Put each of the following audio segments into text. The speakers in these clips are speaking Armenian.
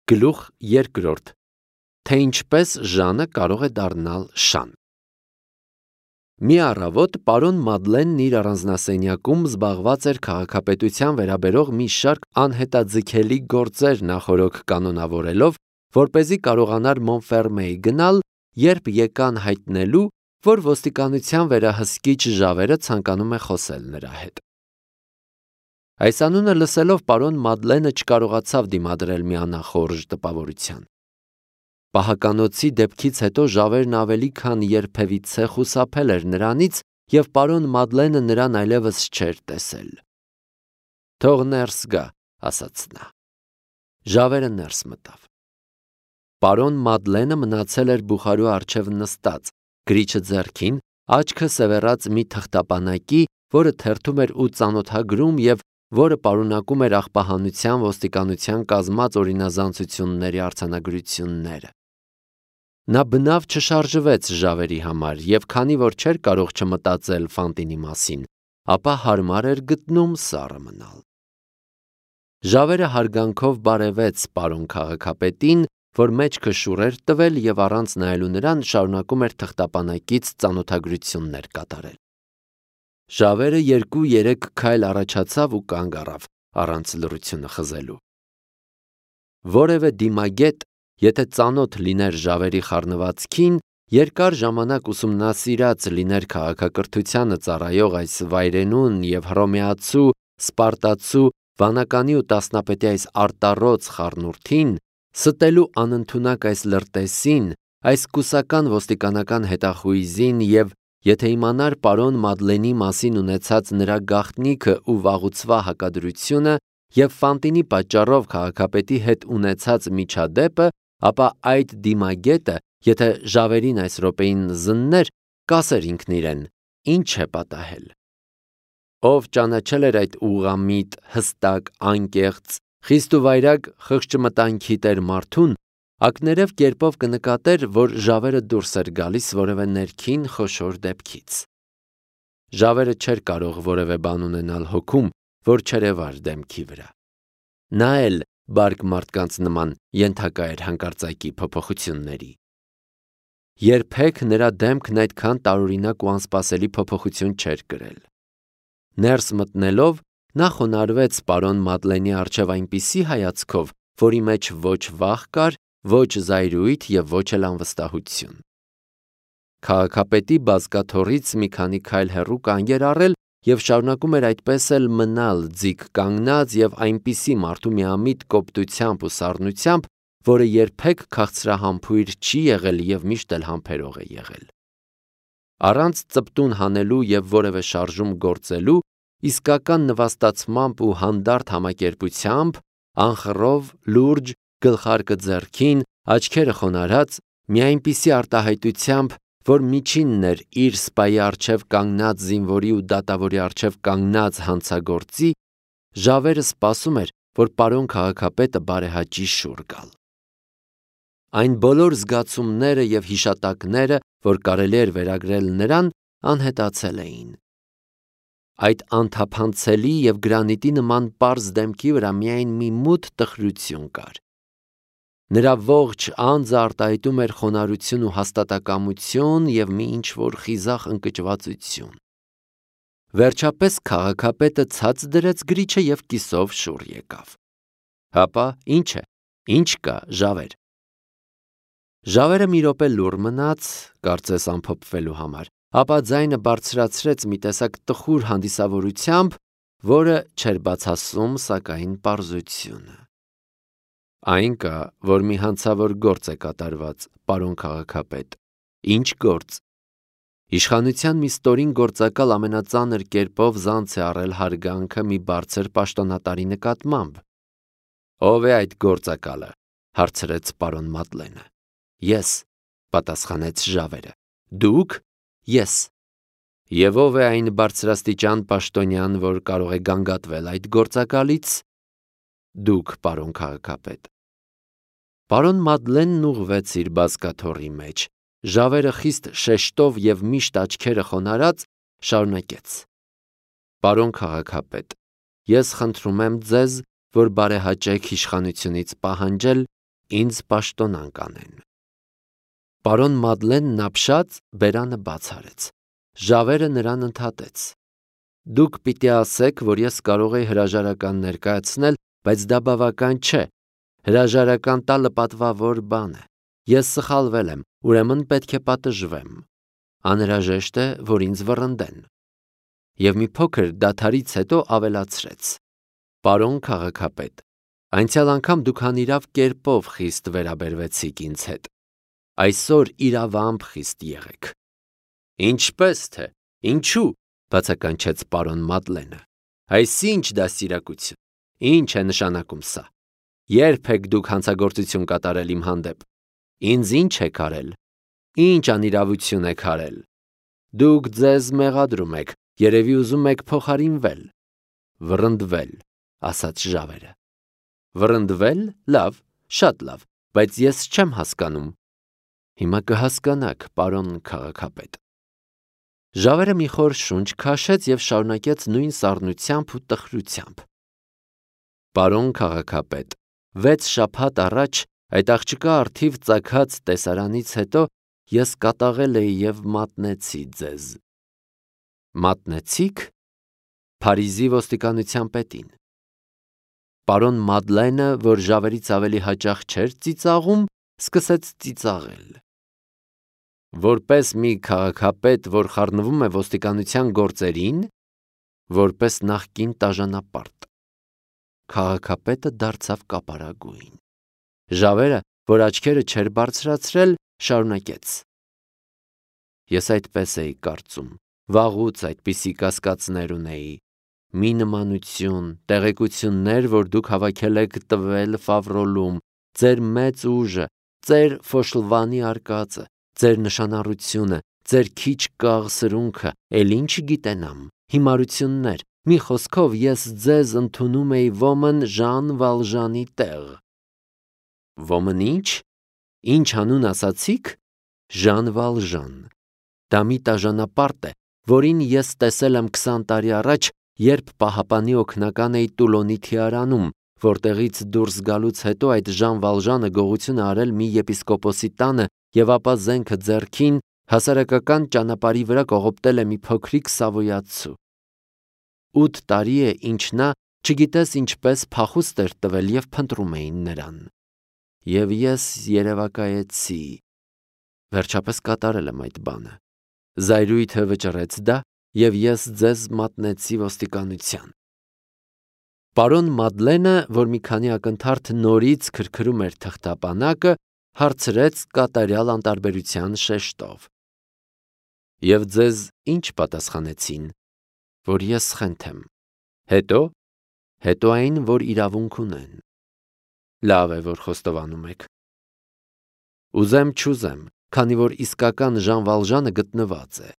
Գլուխ երկրորդ, թե ինչպես Ժանը կարող է դառնալ Շան։ Մի առավոտ պարոն Մադլենն իր առանձնասենյակում զբաղված էր քաղաքապետության վերաբերող մի շարք անհետաձգելի գործեր նախօրոք կանոնավորելով, որպեսզի կարողանար Մոնֆերմեի գնալ, երբ եկան հայտնելու, որ ոստիկանության վերահսկիչ Ժավերը ցանկանում է խոսել նրա հետ։ Այս անունը լսելով պարոն Մադլենը չկարողացավ դիմադրել մի անախորժ տպավորության։ Պահականոցի դեպքից հետո Ժավերն ավելի քան երբևիցե խուսափել էր նրանից և պարոն Մադլենը նրան այլևս չէր տեսել։ «Թող ներս գա», ասաց նա։ Ժավերը ներս մտավ։ Պարոն Մադլենը մնացել էր բուխարու առջև նստած, գրիչը ձեռքին, աչքը սևեռած մի թղթապանակի, որը թերթում էր ու ծանոթագրում և որը պարունակում էր աղբահանության ոստիկանության կազմած օրինազանցությունների արձանագրությունները։ Նա բնավ չշարժվեց Ժավերի համար և քանի որ չէր կարող չմտածել Ֆանտինի մասին, ապա հարմար էր գտնում սառը մնալ։ Ժավերը հարգանքով բարևեց պարոն քաղաքապետին, որ մեջքը շուռ էր տվել և առանց նայելու նրան շարունակում էր թղթապանակից ծանոթագրություններ կատարել։ Ժավերը 2-3 քայլ առաջացավ ու կանգ առավ, առանց լռությունը խզելու։ Որևէ դիմագետ, եթե ծանոթ լիներ Ժավերի խառնվածքին, երկար ժամանակ ուսումնասիրած լիներ քաղաքակրթությանը ծառայող այս վայրենուն և հռոմեացու, սպարտացու, վանականի ու տասնապետի այս արտառոց խառնուրդին, ստելու անընդունակ այս լրտեսին, այս կուսական ոստիկանական հետախույզին և եթե իմանար պարոն Մադլենի մասին ունեցած նրա գաղտնիքը ու վաղուցվա հակադրությունը և Ֆանտինի պատճառով քաղաքապետի հետ ունեցած միջադեպը, ապա այդ դիմագետը, եթե Ժավերին այս րոպեին զններ, կասեր ինքն իրեն. ինչ է պատահել։ Ով ճանաչել էր այդ ուղղամիտ, հստակ, անկեղծ, խիստ ու վայրագ խղճմտանքի տեր մարդուն, ակներև կերպով կնկատեր, որ Ժավերը դուրս էր գալիս որևէ ներքին խոշոր դեպքից։ Ժավերը չէր կարող որևէ բան ունենալ հոգում, որ չերևար դեմքի վրա։ Նա էլ, բարդ մարդկանց նման, ենթակա էր հանկարծակի փոփոխությունների։ Երբեք նրա դեմքն այդքան տարօրինակ ու անսպասելի փոփոխություն չէր կրել։ Ներս մտնելով, նա խոնարհվեց պարոն Մադլենի առջև այնպիսի հայացքով, որի մեջ ոչ վախ կար, ոչ զայրույթ և ոչ էլ անվստահություն։ Քաղաքապետի բազկաթոռից մի քանի քայլ հեռու կանգ էր առել և շարունակում էր այդպես էլ մնալ ձիգ կանգնած և այնպիսի մարդու միամիտ կոպտությամբ ու սառնությամբ, որը երբեք քաղցրահամբույր չի եղել և միշտ էլ համբերող է եղել։ Առանց ծպտուն հանելու և որևէ շարժում գործելու, իսկական նվաստացմամբ ու հանդարտ համակերպությամբ, անխռով, լուրջ, գլխարկը ձեռքին, աչքերը խոնարհած, մի այնպիսի արտահայտությամբ, որ միջինն էր իր սպայի առջև կանգնած զինվորի ու դատավորի առջև կանգնած հանցագործի, Ժավերը սպասում էր, որ պարոն քաղաքապետը բարեհաճի շուռ գալ։ Այն բոլոր զգացումները և հիշատակները, որ կարելի էր վերագրել նրան, անհետացել էին։ Այդ անթափանցելի և գրանիտի նման պարզ դեմքի վրա միայն մի մութ տխրություն կար։ Նրա ողջ անձը արտահայտում էր խոնարհություն ու հաստատակամություն և մի ինչ-որ խիզախ ընկճվածություն։ Վերջապես քաղաքապետը ցած դրեց գրիչը և կիսով շուռ եկավ։ Հապա, ինչ է, ինչ կա, Ժավեր։ Ժավերը մի րոպե լուռ մնաց, կարծես ամփոփվելու համար, ապա ձայնը բարձրացրեց մի տեսակ տխուր հանդիսավորությամբ, որը չէր բացասում, սակայն, պարզությունը։ Այն կա, որ մի հանցավոր գործ է կատարված, պարոն քաղաքապետ։ Ինչ գործ։ Իշխանության մի ստորին գործակալ ամենածանր կերպով զանց է առել հարգանքը մի բարձր պաշտոնատարի նկատմամբ։ Ո՞վ է այդ գործակալը, հարցրեց պարոն Մադլենը։ Ես, պատասխանեց Ժավերը։ Դուք։ Ես։ Եվ ո՞վ է այն բարձրաստիճան պաշտոնյան, որ կարող է գանգատվել այդ գործակալից։ Դուք, պարոն քաղաքապետ։ Պարոն Մադլենն ուղղվեց իր բազկաթոռի մեջ։ Ժավերը խիստ շեշտով և միշտ աչքերը խոնարհած շարունակեց. Պարոն քաղաքապետ, ես խնդրում եմ ձեզ, որ բարեհաճեք իշխանությունից պահանջել, ինձ պաշտոնան կանեն։ Պարոն Մադլենն ապշած բերանը բաց արեց։ Ժավերը նրան ընդհատեց. Դուք պիտի ասեք, որ ես կարող եի հրաժարական ներկայացնել, բայց դա բավական չէ։ Հրաժարական տալը պատվավոր բան է։ Ես սխալվել եմ, ուրեմն պետք է պատժվեմ։ Անհրաժեշտ է, որ ինձ վռնդեն։ Եվ մի փոքր դադարից հետո ավելացրեց. Պարոն քաղաքապետ, անցյալ անգամ դուք անիրավ կերպով խիստ վերաբերվեցիք ինձ հետ։ Այսօր իրավամբ խիստ եղեք։ Ինչպես թե, ինչու, բացականչեց պարոն Մադլենը։ Այսինչ դաստիարակություն, ինչ է նշանակում սա։ Երբ եք դուք հանցագործություն կատարել իմ հանդեպ։ Ինձ ինչ եք արել։ Ինչ անիրավություն եք արել։ Դուք ձեզ մեղադրում եք, երևի ուզում եք փոխարինվել։ Վռնդվել, ասաց Ժավերը։ Վռնդվել, լավ, շատ լավ, բայց ես չեմ հասկանում։ Հիմա կհասկանաք, պարոն քաղաքապետ։ Ժավերը մի խոր շունչ քաշեց և շարունակեց նույն սառնությամբ ու տխրությամբ։ Պարոն քաղաքապետ, 6 շաբաթ առաջ այդ աղջկա առթիվ ծագած տեսարանից հետո ես կատաղել էի և մատնեցի ձեզ։ Մատնեցիք։ Փարիզի ոստիկանության պետին։ Պարոն Մադլենը, որ Ժավերից ավելի հաճախ չէր ծիծաղում, սկսեց ծիծաղել։ Որպես մի քաղաքապետ, որ խառնվում է ոստիկանության գործերին, որպես նախկին տաժանապարտ։ Քաղաքապետը դարձավ կապարագույն։ Ժավերը, որ աչքերը չէր բարձրացրել, շարունակեց. Ես այդպես էի կարծում, վաղուց այդպիսի կասկածներ ունեի։ Մի նմանություն, տեղեկություններ, որ դուք հավաքել եք տվել Ֆավրոլում, ձեր մեծ ուժը, ձեր Ֆոշլվանի արկածը, ձեր նշանառությունը, ձեր քիչ կաղ սրունքը, էլ ինչ գիտենամ, հիմարություններ, մի խոսքով ես ձեզ ընդունում էի ոմն Ժան Վալժանի տեղ։ Ոմն ինչ։ Ինչ անուն ասացիք։ Ժան Վալժան։ Դա մի տաժանապարտ է, որին ես տեսել եմ 20 տարի առաջ, երբ պահապանի օգնական էի Տուլոնի թիարանում, որտեղից դուրս գալուց հետո այդ Ժան Վալժանը գողություն արել մի եպիսկոպոսի տանը և ապա զենքը ձեռքին հասարակական ճանապարհի վրա կողոպտել է մի փոքրիկ սավոյացու։ 8 տարի է, ինչ նա չգիտես ինչպես փախուստ էր տվել և փնտրում էին նրան։ Եվ ես երևակայեցի։ Վերջապես կատարել եմ այդ բանը։ Զայրույթը վճռեց դա, և ես ձեզ մատնեցի ոստիկանության։ Պարոն Մադլենը, որ մի քանի ակնթարթ նորից քրքրում էր թղթապանակը, հարցրեց կատարյալ անտարբերության շեշտով. Եվ ձեզ ինչ պատասխանեցին։ Որ ես սխենթ եմ։ Հետո։ Հետո այն, որ իրավունք ունեն։ Լավ է, որ խոստովանում եք։ Ուզեմ չուզեմ, քանի որ իսկական Ժան Վալժանը գտնված է։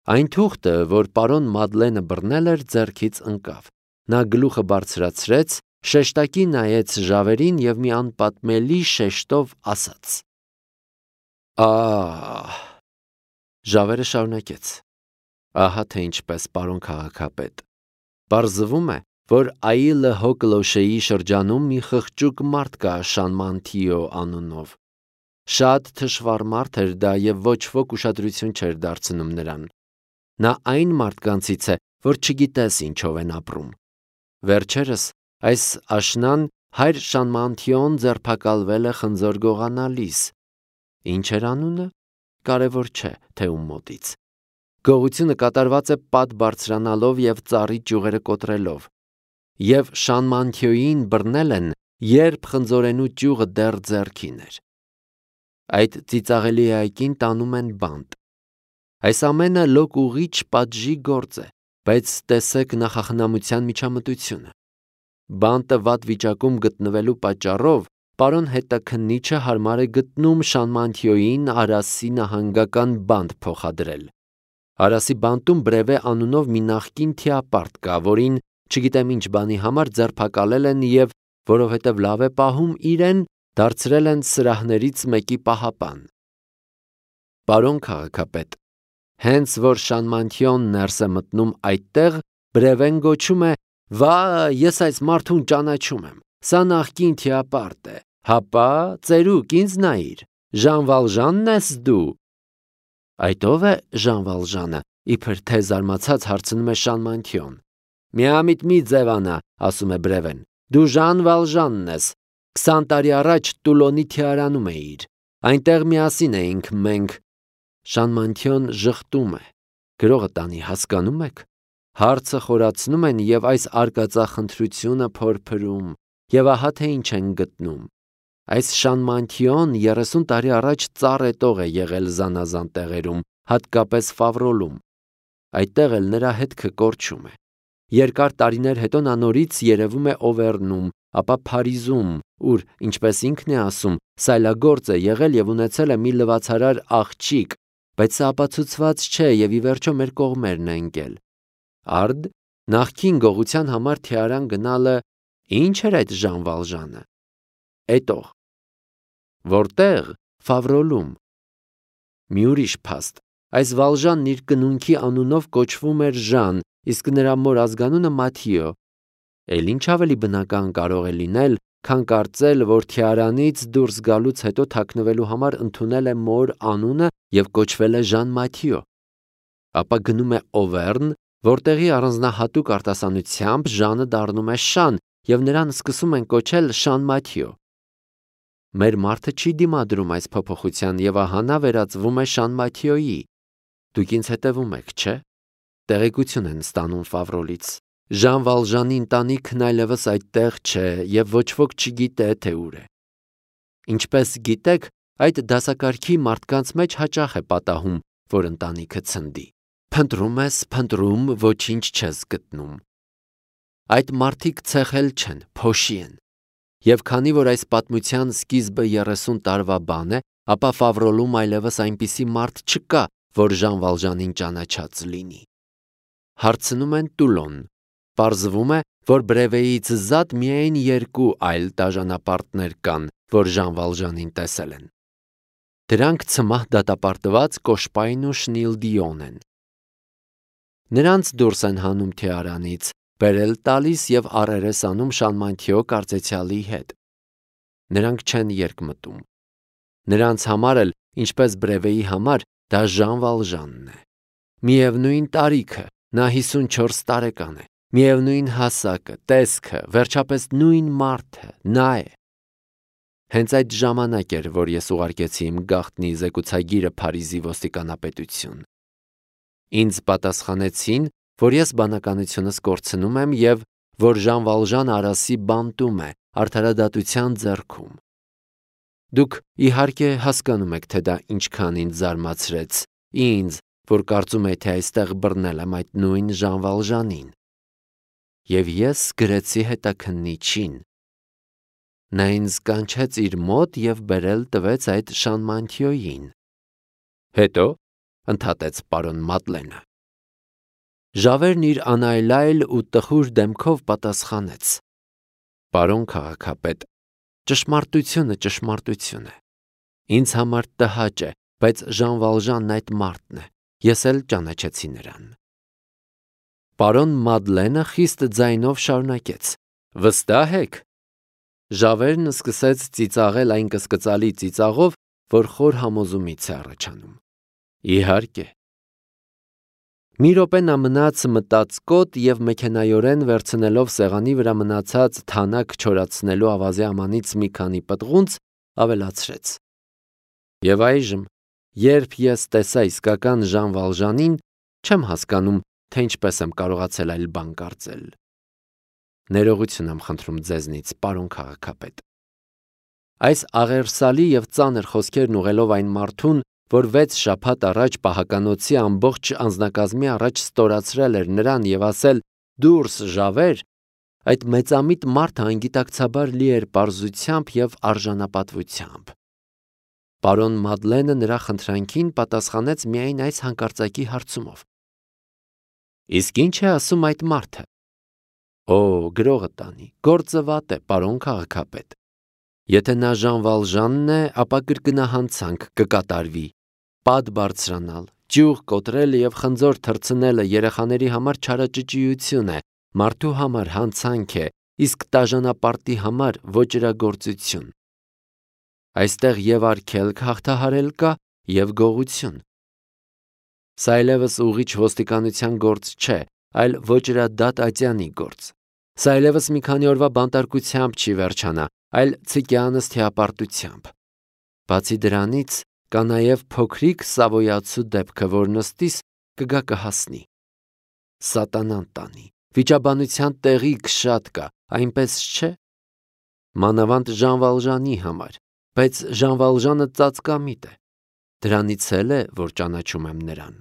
Այն թուղթը, որ պարոն Մադլենը բռնել էր, ձեռքից ընկավ։ Նա գլուխը բարձրացրեց, շեշտակի նայեց Ժավերին և մի անպատմելի շեշտով ասաց. Ահ։ Ժավերը շարունակեց. Ահա թե ինչպես, պարոն քաղաքապետ։ Պարզվում է, որ Այլը Հոկլոշեի շրջանում մի խղճուկ մարդ կա Շանմանթիո անունով։ Շատ թշվառ մարդ էր դա և ոչ ոք ուշադրություն չէր դարձնում նրան։ Նա այն մարդկանցից է, որ չգիտես ինչով են ապրում։ Վերջերս այս աշնան հայր Շանմանթիոն ձերբակալվել է խնձոր գողանալիս։ Ինչ էր անունը։ Կարևոր չէ, թե ում մոտից։ Գողությունը կատարված է պատ բարձրանալով և ծառի ճյուղերը կոտրելով։ Եվ Շանմանթիոյին բռնել են, երբ խնձորենու ճյուղը դեռ ձեռքին էր։ Այդ ծիծաղելի այգին տանում են բանտ։ Այս ամենը լոկ ուղիչ պատժի գործ է, բայց տեսեք նախախնամության միջամտությունը։ Բանտը վատ վիճակում գտնվելու պատճառով պարոն հետաքննիչը հարմար է գտնում Շանմանթիոյին Արասի նահանգական բանտ փոխադրել։ Արասի բանտում Բրևե անունով մի նախկին թիապարտ կա, որին չգիտեմ ինչ բանի համար ձերբակալել են և, որովհետև լավ է պահում իրեն, դարձրել են սրահներից մեկի պահապան։ Պարոն քաղաքապետ, հենց որ Շանմանթիոն ներս է մտնում այդտեղ, Բրևեն գոչում է. «Վա, ես այս մարդուն ճանաչում եմ, սա նախկին թիապարտ է, Հապա, ծերուկ, ինձ նայիր, Ժան Վալժանն ես դու։ Այդ ո՞վ է Ժան Վալժանը, իբր թե զարմացած հարցնում է Շան Մանթիոն։ Միամիտ մի ձևանա, ասում է Բրևեն, դու Ժան Վալժանն ես, 20 տարի առաջ Տուլոնի թիարանում էիր, այնտեղ միասին էինք մենք։ Շան Մանթիոն ժխտում է, գրողը տանի, հասկանում եք, հարցը խորացնում են և այս արկածախնդրությունը փորփրում, և ահա թե ինչ են գտնում։ Այս Շան Մանթիոն 30 տարի առաջ ծառ էտող է եղել զանազան տեղերում, հատկապես Ֆավրոլում։ Այդտեղ էլ նրա հետքը կորչում է։ Երկար տարիներ հետո նա նորից երևում է Օվերնում, ապա Փարիզում, ուր, ինչպես ինքն է ասում, սայլագործ է եղել և ունեցել է մի լվացարար աղջիկ, բայց սա ապացուցված չէ և ի վերջո մեր կողմերն է ընկել։ Արդ, նախկին գողության համար թիարան գնալը ի՞նչ էր այդ Ժան Վալժանը։ Էտող։ Որտեղ։ Ֆավրոլում։ Մի ուրիշ փաստ։ Այս Վալժանն իր կնունքի անունով կոչվում էր Ժան, իսկ նրա մոր ազգանունը Մաթիո։ Էլ ինչ ավելի բնական կարող է լինել, քան կարծել, որ թիարանից դուրս գալուց հետո թաքնվելու համար ընդունել է մոր անունը և կոչվել է Ժան Մաթիո։ Ապա գնում է Օվերն, որտեղի առանձնահատուկ արտասանությամբ Ժանը դառնում է Շան, և նրան սկսում են կոչել Շան Մաթիո։ Մեր մարդը չի դիմադրում այս փոփոխության և ահա նա վերածվում է Շան Մաթիոյի։ Դուք ինձ հետևում եք, չէ՞։ Տեղեկություն են ստանում Ֆավրոլից։ Ժան Վալժանի ընտանիքն այլևս այդտեղ չէ և ոչ ոք չգիտե, թե ուր է։ Ինչպես գիտեք, այդ դասակարգի մարդկանց մեջ հաճախ է պատահում, որ ընտանիքը ցնդի։ Փնտրում ես, փնտրում, ոչինչ չես գտնում։ Այդ մարդիկ ցեխել չեն, փոշի են։ Եվ քանի որ այս պատմության սկիզբը 30 տարվա բան է, ապա Ֆավրոլում այլևս այնպիսի մարդ չկա, որ Ժան Վալժանին ճանաչած լինի։ Հարցնում են Տուլոն։ Պարզվում է, որ Բրևեից զատ միայն 2 այլ դաժանապարտներ կան, որ Ժան Վալժանին տեսել են։ Դրանք ցմահ դատապարտված Կոշպայն ու Շնիլդիոն են։ Նրանց դուրս են հանում թիարանից, բերել տալիս և առերես անում Շան Մանթիո կարծեցյալի հետ։ Նրանք չեն երկմտում։ Նրանց համար էլ, ինչպես Բրևեի համար, դա Ժան Վալժանն է։ Միևնույն տարիքը, նա 54 տարեկան է, միևնույն հասակը, տեսքը, վերջապես նույն մարդը, նա է։ Հենց այդ ժամանակ էր, որ ես ուղարկեցի իմ գաղտնի զեկուցագիրը Փարիզի ոստիկանապետություն։ Ինձ պատասխանեցին, որ ես բանականությունս կորցնում եմ և որ Ժան Վալժանը Արասի բանտում է, արդարադատության ձեռքում։ Դուք իհարկե հասկանում եք, թե դա ինչքան ինձ զարմացրեց, ինձ, որ կարծում էի, թե այստեղ բռնել եմ այդ նույն Ժան Վալժանին։ Եվ ես գրեցի հետաքննիչին։ Նա ինձ կանչեց իր մոտ և բերել տվեց այդ Շան Մանթիոյին։ Հետո ընդհատեց պարոն Մադլենը։ Ժավերն իր անայլայլ ու տխուր դեմքով պատասխանեց. Պարոն քաղաքապետ, ճշմարտությունը ճշմարտություն է։ Ինձ համար տհաճ է, բայց Ժան Վալժանն այդ մարդն է։ Ես էլ ճանաչեցի նրան։ Պարոն Մադլենը խիստ ձայնով շարունակեց. Վստահ եք։ Ժավերն սկսեց ծիծաղել այն կսկծալի ծիծաղով, որ խոր համոզումից է առաջանում։ Իհարկե։ Մի րոպե նա մնաց մտածկոտ և մեքենայորեն վերցնելով սեղանի վրա մնացած թանաք չորացնելու ավազի ամանից մի քանի պտղունց, ավելացրեց. Եվ այժմ, երբ ես տեսա իսկական Ժան Վալժանին, չեմ հասկանում, թե ինչպես եմ կարողացել այլ բան կարծել։ Ներողություն եմ խնդրում ձեզնից, պարոն քաղաքապետ։ Այս աղերսալի և ծանր խոսքերն ուղղելով այն մարդուն, որ 6 շաբաթ առաջ պահականոցի ամբողջ անձնակազմի առաջ ստորացրել էր նրան և ասել «Դուրս, Ժավեր», այդ մեծամիտ մարդը անգիտակցաբար լի էր պարզությամբ և արժանապատվությամբ։ Պարոն Մադլենը նրա խնդրանքին պատասխանեց միայն այս հանկարծակի հարցումով. Իսկ ինչ է ասում այդ մարդը։ Օ, գրողը տանի, գործը վատ է, պարոն քաղաքապետ։ Եթե նա Ժան Վալժանն է, ապա կրկնահանցանք կկատարվի։ Պատ բարձրանալ, ճյուղ կոտրելը և խնձոր թռցնելը երեխաների համար չարաճճիություն է, մարդու համար հանցանք է, իսկ տաժանապարտի համար ոճրագործություն։ Այստեղ եւ արգելք հաղթահարել կա եւ գողություն։ Սա այլևս ուղիչ ոստիկանության գործ չէ, այլ ոճրադատ ատյանի գործ։ Սա այլևս մի քանի օրվա բանտարկությամբ չի վերջանա, այլ ցիկյանս թիապարտությամբ։ Բացի դրանից կա նաև փոքրիկ Սավոյացու դեպքը, որ նստիս կգա կհասնի։ Սատանան տանի, վիճաբանության տեղիք շատ կա, այնպես չէ։ Մանավանդ Ժան Վալժանի համար, բայց Ժան Վալժանը ծածկամիտ է։ Դրանից էլ է, որ ճանաչում եմ նրան։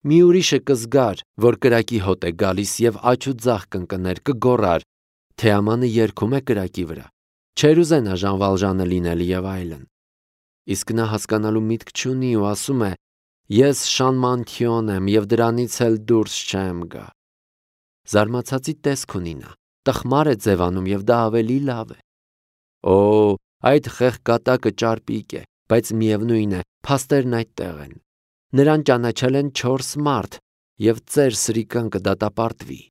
Մի ուրիշը կզգար, որ կրակի հոտ է գալիս եւ աջ ու ձախ կընկներ, կգոռար, Թեամանը երգում է կրակի վրա։ Չեր ուզենա Ժան Վալժանը լինել եւ այլն։ Իսկ նա հասկանալու միտք չունի ու ասում է. ես Շանմանթիոն եմ եւ դրանից էլ դուրս չեմ գա։ Զարմացածի տեսք ունի նա, տխմար է ձևանում եւ դա ավելի լավ է։ Օ, այդ խեղ կատակը ճարպիկ է, բայց միևնույն է, փաստերն այդտեղ են։ Նրան ճանաչել են 4 մարդ եւ ծեր սրիկան կդատապարտվի։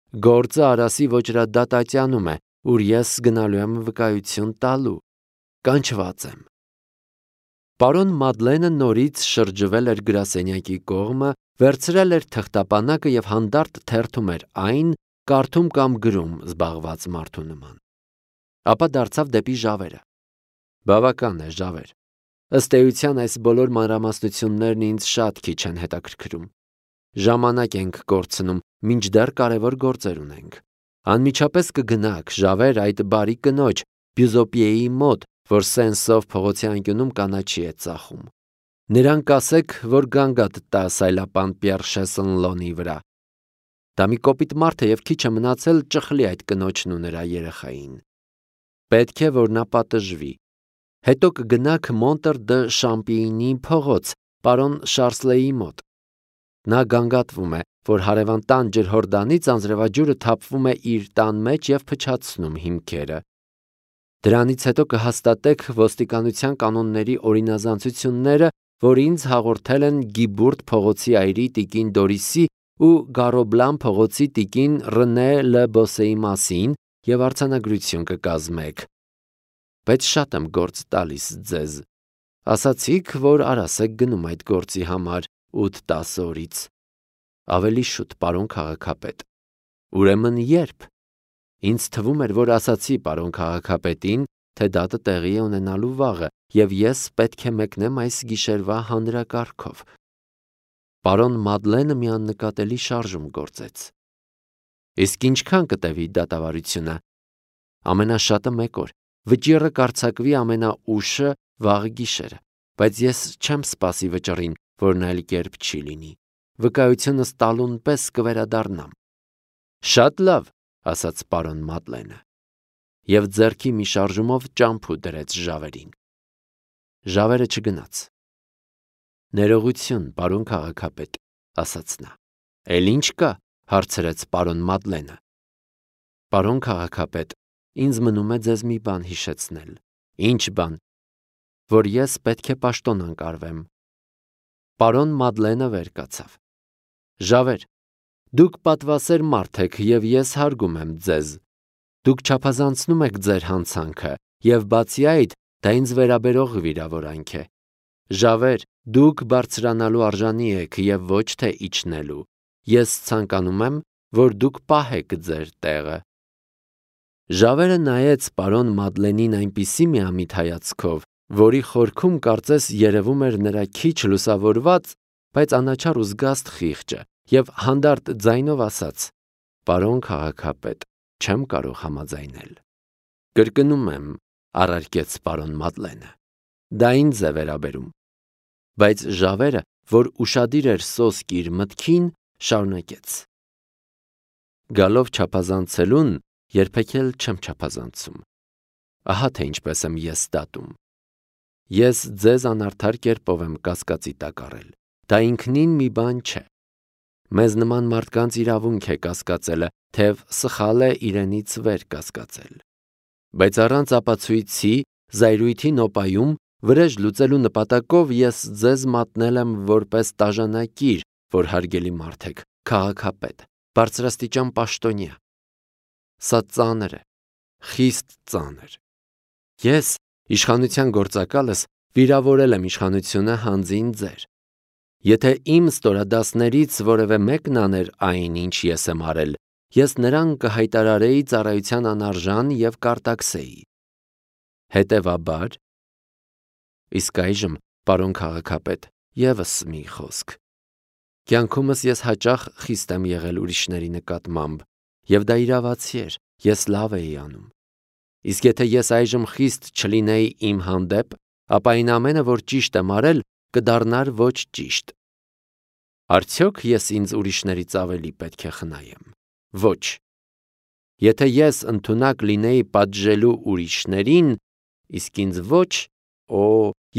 Գործը Արասի ոճրադատատյանում է, ուր ես գնալու եմ վկայություն տալու։ Կանչված եմ։ Պարոն Մադլենը նորից շրջվել էր գրասենյակի կողմը, վերցրել էր թղթապանակը եւ հանդարտ թերթում էր այն, կարդում կամ գրում զբաղված մարդու նման։ Ապա դարձավ դեպի Ժավերը։ Բավական է, Ժավեր։ Ըստ էության այս բոլոր մանրամասնություններն ինձ շատ քիչ են հետաքրքրում։ Ժամանակ ենք կորցնում, մինչդեռ կարևոր գործեր ունենք։ Անմիջապես կգնաք, Ժավեր, այդ բարի կնոջ Բյուզոպիեի մոտ, որ Սենսով փողոցի անկյունում կանաչի է ծախում։ Նրան կասեք, որ գանգատ տա սայլապան Պիեր Շեսնլոնի վրա։ Դա մի կոպիտ մարդ է եւ քիչ է մնացել ճխլի այդ կնոջն ու նրա երեխային։ Պետք է, որ նա պատժվի։ Հետո կգնաք Մոնտր դը Շամպիինի փողոց, պարոն Շարսլեի մոտ։ Նա գանգատվում է, որ հարևան տան ջրհորդանից անձրևաջուրը թափվում է իր տան մեջ եւ փչացնում հիմքերը։ Դրանից հետո կհաստատեք ոստիկանության կանոնների օրինազանցությունները, որ ինձ հաղորդել են Գիբուրդ փողոցի այրի տիկին Դորիսի ու Գարոբլան փողոցի տիկին Ռնե Լը Բոսեի մասին եւ արձանագրություն կկազմեք։ Բայց շատ եմ գործ տալիս ձեզ։ Ասացիք, որ Արաս եք գնում այդ գործի համար 8-10 օրից։ Ավելի շուտ, պարոն քաղաքապետ։ Ուրեմն երբ։ Ինձ թվում էր, որ ասացի պարոն քաղաքապետին, թե դատը տեղի է ունենալու վաղը, եւ ես պետք է մեկնեմ այս գիշերվա հանրակարգով։ Պարոն Մադլենը մի աննկատելի շարժում գործեց։ Իսկ ինչքան կտևի դատավարությունը։ Ամենաշատը 1 օր։ Վճիռը կարծակվի ամենաուշը վաղ գիշերը, բայց ես չեմ սպասի վճռին, որն այլ կերպ չի լինի։ Վկայությունս տալուն պես կվերադառնամ։ Շատ լավ, ասաց պարոն Մադլենը, եւ ձեռքի մի շարժումով ճամփու դրեց Ժավերին։ Ժավերը չգնաց։ Ներողություն, պարոն քաղաքապետ, ասաց նա։ Էլ ինչ կա, հարցրեց պարոն Մադլենը։ Պարոն քաղաքապետ, ինձ մնում է ձեզ մի բան հիշեցնել։ Ինչ բան։ Որ ես պետք է պաշտոն անկարվեմ։ Պարոն Մադլենը վեր կացավ։ Ժավեր, դուք պատվասեր մարդ եք եւ ես հարգում եմ ձեզ։ Դուք չափազանցնում եք ձեր հանցանքը եւ բացի այդ, դա ինձ վերաբերող վիրավորանք է։ Ժավեր, դուք բարձրանալու արժանի եք եւ ոչ թե իջնելու։ Ես ցանկանում եմ, որ դուք պահեք ձեր տեղը։ Ժավերը նայեց պարոն Մադլենին այնպիսի միամիտ հայացքով, որի խորքում կարծես երևում էր նրա քիչ լուսավորված, բայց անաչառ ու զգաստ խիղճը, եւ հանդարտ ձայնով ասաց. Պարոն քաղաքապետ, չեմ կարող համաձայնել։ Կրկնում եմ, առարկեց պարոն Մադլենը։ Դա ինձ է վերաբերում։ Բայց Ժավերը, որ ուշադիր էր սոսկ իր մտքին, շարունակեց. Գալով չափազանցելուն, երբեք էլ չեմ չափազանցում։ Ահա թե ինչպես եմ ես դատում։ Ես ձեզ անարդար կերպով եմ կասկածի տակ առել։ Դա ինքնին մի բան չէ։ Մեզ նման մարդկանց իրավունք է կասկածելը, թեև սխալ է իրենից վեր կասկածել։ Բայց առանց ապացույցի, զայրույթի նոպայում, վրեժ լուծելու նպատակով ես ձեզ մատնել եմ որպես տաժանակիր, որ հարգելի մարդ եք, քաղաքապետ, բարձրաստիճան պաշտոնյա։ Սա ծանր է, խիստ ծանր։ Ես Իշխանության գործակալս վիրավորել եմ իշխանությունը հանձին ձեր։ Եթե իմ ստորադասներից որևէ մեկն աներ այն, ինչ ես եմ արել, ես նրան կհայտարարեի ծառայության անարժան և կարտաքսեի։ Հետևաբար, իսկ այժմ, պարոն քաղաքապետ, ևս մի խոսք։ Կյանքումս ես հաճախ խիստ եմ եղել ուրիշների նկատմամբ, և դա իրավացի էր, ես լավ էի անում։ Իսկ եթե ես այժմ խիստ չլինեի իմ հանդեպ, ապա այն ամենը, որ ճիշտ եմ արել, կդառնար ոչ ճիշտ։ Արդյոք ես ինձ ուրիշներից ավելի պետք է խնայեմ։ Ոչ։ Եթե ես ընդունակ լինեի պատժելու ուրիշներին, իսկ ինձ ոչ,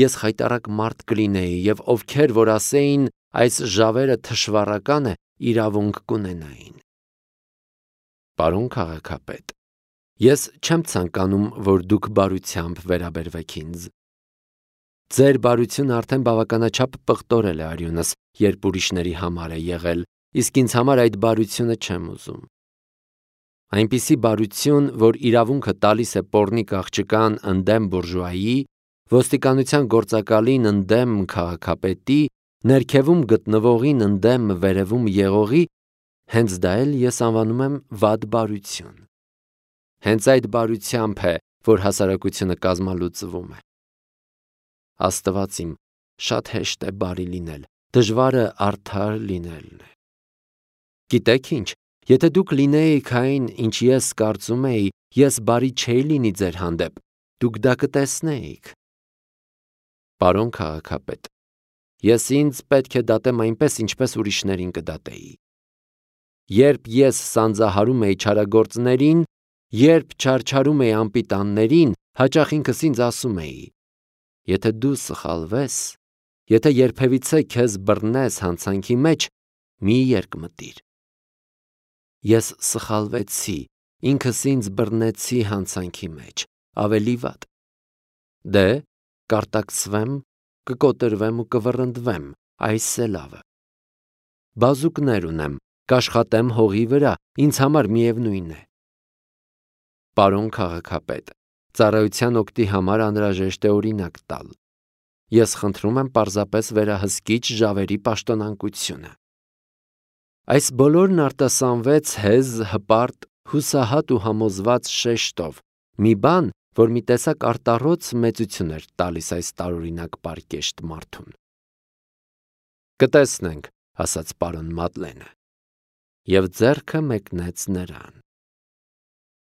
ես խայտառակ մարդ կլինեի, և ովքեր որ ասեին այս ժավերը թշվառական է, իրավունք կունենային։ Պարոն քաղաքապետ, ես չեմ ցանկանում, որ դուք բարությամբ վերաբերվեք ինձ։ Ձեր բարությունը արդեն բավականաչափ պղտորել է արյունս, երբ ուրիշների համար է եղել, իսկ ինձ համար այդ բարությունը չեմ ուզում։ Այնպիսի բարություն, որ իրավունքը տալիս է պոռնիկ աղջկան ընդդեմ բուրժուայի, ոստիկանության գործակալին ընդդեմ քաղաքապետի, ներքևում գտնվողին ընդդեմ վերևում եղողի, հենց դա էլ ես անվանում եմ վատ բարություն։ Հենց այդ բարությամբ է, որ հասարակությունը կազմալուծվում է։ Աստված իմ, շատ հեշտ է բարի լինել, դժվարը արդար լինելն է։ Գիտեք ինչ, եթե դուք լինեիք այն, ինչ ես կարծում էի, ես բարի չէի լինի ձեր հանդեպ, դուք դա կտեսնեիք։ Պարոն քաղաքապետ, ես ինձ պետք է դատեմ այնպես, ինչպես ուրիշներին կդատեի։ Երբ ես սանձահարում էի չարագործներին, երբ չարչարում էի անպիտաններին, հաճախ ինքս ինձ ասում էի. եթե դու սխալվես, եթե երբևիցե քեզ բռնես հանցանքի մեջ, մի երկմտիր։ Ես սխալվեցի, ինքս ինձ բռնեցի հանցանքի մեջ, ավելի վատ։ Դե, կարտաքսվեմ, կկոտրվեմ ու կվռնդվեմ, այս է լավը։ Բազուկներ ունեմ, կաշխատեմ հողի վրա, ինձ համար միևնույն է։ Պարոն քաղաքապետ, ծառայության օգտի համար անհրաժեշտ է օրինակ տալ։ Ես խնդրում եմ պարզապես վերահսկիչ ժավերի պաշտոնանկությունը։ Այս բոլորն արտասանվեց հեզ, հպարտ, հուսահատ ու համոզված շեշտով, մի բան, որ մի տեսակ արտառոց մեծություն էր տալիս այս տարօրինակ պարկեշտ մարդուն։ Կտեսնենք, ասաց պարոն Մադլենը, և ձեռքը մեկնեց նրան։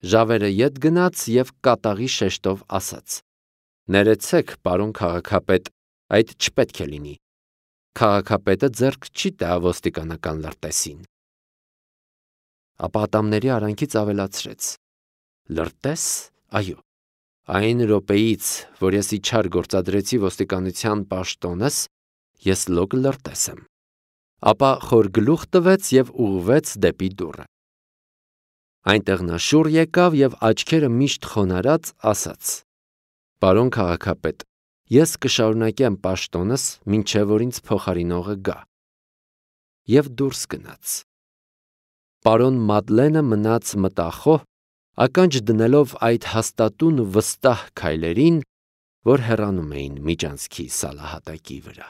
Ժավերը ետ գնաց և կատաղի շեշտով ասաց. ներեցեք, պարոն քաղաքապետ, այդ չպետք է լինի։ Քաղաքապետը ձեռք չի տա ոստիկանական լրտեսին։ Ապա ատամների արանքից ավելացրեց. լրտես, այո, այն րոպեից, որ ես իջար գործադրեցի ոստիկանության պաշտոնս, ես լոկ լրտես եմ։ Ապա խոր գլուխ տվեց և ուղղվեց դեպի դուռը։ Այնտեղ նա շուռ եկավ և աչքերը միշտ խոնարհած ասաց. պարոն քաղաքապետ, ես կշարունակեմ պաշտոնս, մինչև որ ինձ փոխարինողը գա։ Եվ դուրս գնաց։ Պարոն Մադլենը մնաց մտախոհ, ականջ դնելով այդ հաստատուն ու վստահ քայլերին, որ հեռանում էին միջանցքի սալահատակի վրա։